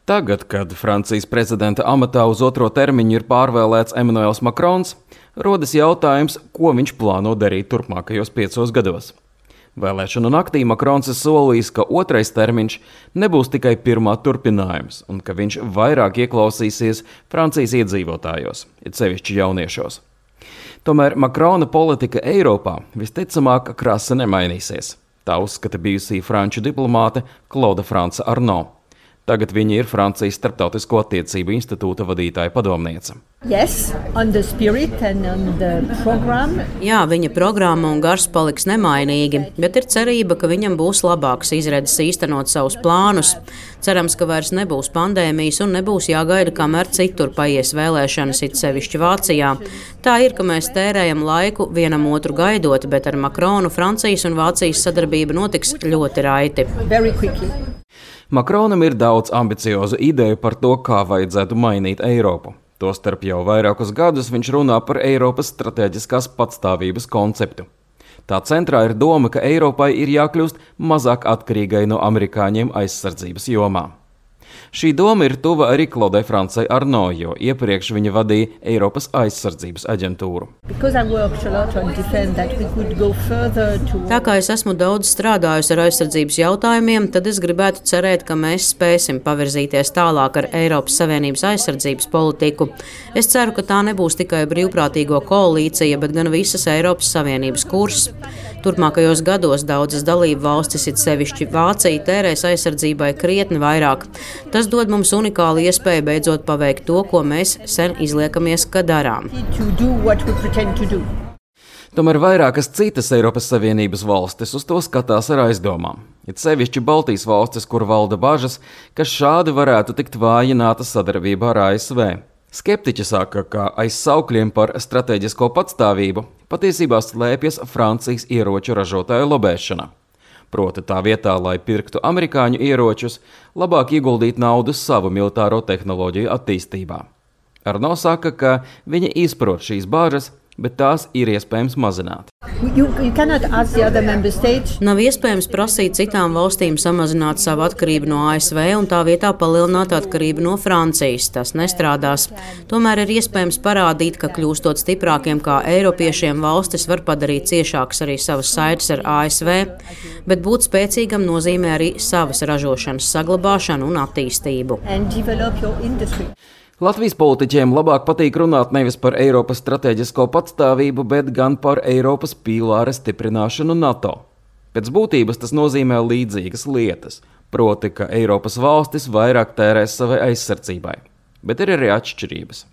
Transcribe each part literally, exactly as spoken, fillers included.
Tagad, kad Francijas prezidenta amatā uz otro termiņu ir pārvēlēts Emmanuels Macrons, rodas jautājums, ko viņš plāno darīt turpmākajos piecos gados. Vēlēšanu naktī Macrons ir solījis, ka otrais termiņš nebūs tikai pirmā turpinājums un ka viņš vairāk ieklausīsies Francijas iedzīvotājos, it sevišķi jauniešos. Tomēr Macrona politika Eiropā visticamāk krasi nemainīsies. Tā uzskata bijusī franču diplomāte Claude France Arnaud. Tagad viņa ir Francijas Starptautisko attiecību institūta vadītāja padomniece. Yes, on the spirit and on the program. Jā, viņa programma un gars paliks nemainīgi, bet ir cerība, ka viņam būs labāks izredzes īstenot savus plānus. Cerams, ka vairs nebūs pandēmijas un nebūs jāgaida, kamēr citur paies vēlēšanas, it sevišķi Vācijā. Tā ir, ka mēs tērējam laiku vienam otru gaidot, bet ar Macronu Francijas un Vācijas sadarbība notiks ļoti raiti. Very quickly. Macronam ir daudz ambiciozu ideju par to, kā vajadzētu mainīt Eiropu. Tostarp jau vairākus gadus viņš runā par Eiropas stratēģiskās patstāvības konceptu. Tā centrā ir doma, ka Eiropai ir jākļūst mazāk atkarīgai no amerikāņiem aizsardzības jomā. Šī doma ir tuva arī Claude Francei Arnaud, jo iepriekš viņa vadīja Eiropas aizsardzības aģentūru. Tā kā es esmu daudz strādājusi ar aizsardzības jautājumiem, tad es gribētu cerēt, ka mēs spēsim pavirzīties tālāk ar Eiropas Savienības aizsardzības politiku. Es ceru, ka tā nebūs tikai brīvprātīgo koalīcija, bet gan visas Eiropas Savienības kurs. Turpmākajos gados daudzas dalību valstis, it sevišķi Vācija, tērēs aizsardzībai krietni vairāk. Tas dod mums unikālu iespēju beidzot paveikt to, ko mēs sen izliekamies, ka darām. Tomēr vairākas citas Eiropas Savienības valstis uz to skatās ar aizdomām. It sevišķi Baltijas valstis, kur valda bažas, ka šādi varētu tikt vājināta sadarbība ar A S V. Skeptiķi saka, ka aiz saukļiem par stratēģisko patstāvību patiesībā slēpjas Francijas ieroču ražotāju lobēšana. Proti tā vietā, lai pirktu amerikāņu ieročus, labāk ieguldīt naudu savu militāro tehnoloģiju attīstībā. Arnaud saka, ka viņa izprot šīs bāžas, bet tās ir iespējams mazināt. You, you Nav iespējams prasīt citām valstīm samazināt savu atkarību no A S V un tā vietā palielināt atkarību no Francijas. Tas nestrādās. Tomēr ir iespējams parādīt, ka kļūstot stiprākiem kā eiropiešiem, valstis var padarīt ciešākas arī savas saites ar A S V, bet būt spēcīgam nozīmē arī savas ražošanas saglabāšanu un attīstību. Latvijas politiķiem labāk patīk runāt nevis par Eiropas stratēģisko patstāvību, bet gan par Eiropas pīlāra stiprināšanu NATO. Pēc būtības tas nozīmē līdzīgas lietas, proti, ka Eiropas valstis vairāk tērēs savai aizsardzībai. Bet ir arī atšķirības.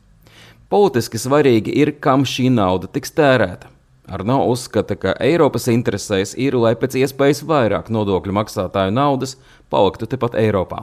Politiski svarīgi ir, kam šī nauda tiks tērēta. Arnaud uzskata, ka Eiropas interesēs ir, lai pēc iespējas vairāk nodokļu maksātāju naudas paliktu tepat Eiropā.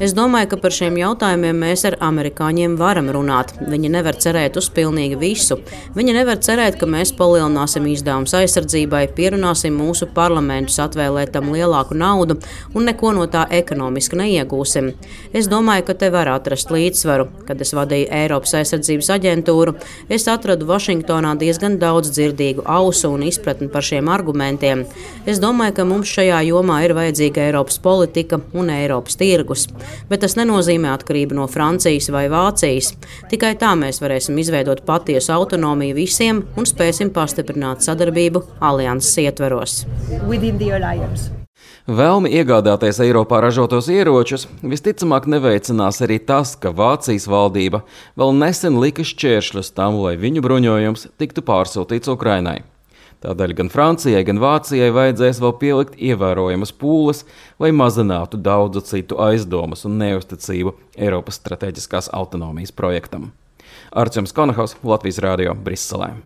Es domāju, ka par šiem jautājumiem mēs ar amerikāņiem varam runāt. Viņi nevar cerēt uz pilnīgi visu. Viņi nevar cerēt, ka mēs palielināsim izdevumus aizsardzībai, pierunāsim mūsu parlamentus atvēlēt tam lielāku naudu un neko no tā ekonomiski neiegūsim. Es domāju, ka te var atrast līdzsvaru. Kad es vadīju Eiropas aizsardzības aģentūru, es atradu Vašingtonā diezgan daudz dzirdīgu ausu un izpratni par šiem argumentiem. Es domāju, ka mums šajā jomā ir vajadzīga Eiropas politika un Eiropas tirgus. Bet tas nenozīmē atkarību no Francijas vai Vācijas. Tikai tā mēs varēsim izveidot patiesu autonomiju visiem un spēsim pastiprināt sadarbību alianses ietveros. Vēlmi iegādāties Eiropā ražotos ieročus visticamāk neveicinās arī tas, ka Vācijas valdība vēl nesen lika šķēršļus tam, lai viņu bruņojums tiktu pārsūtīts Ukrainai. Tādēļ gan Francijai, gan Vācijai vajadzēs vēl pielikt ievērojamas pūles, lai mazinātu daudzu citu aizdomas un neusticību Eiropas stratēģiskās autonomijas projektam. Arčuns Konahaus, Latvijas radio, Briselē.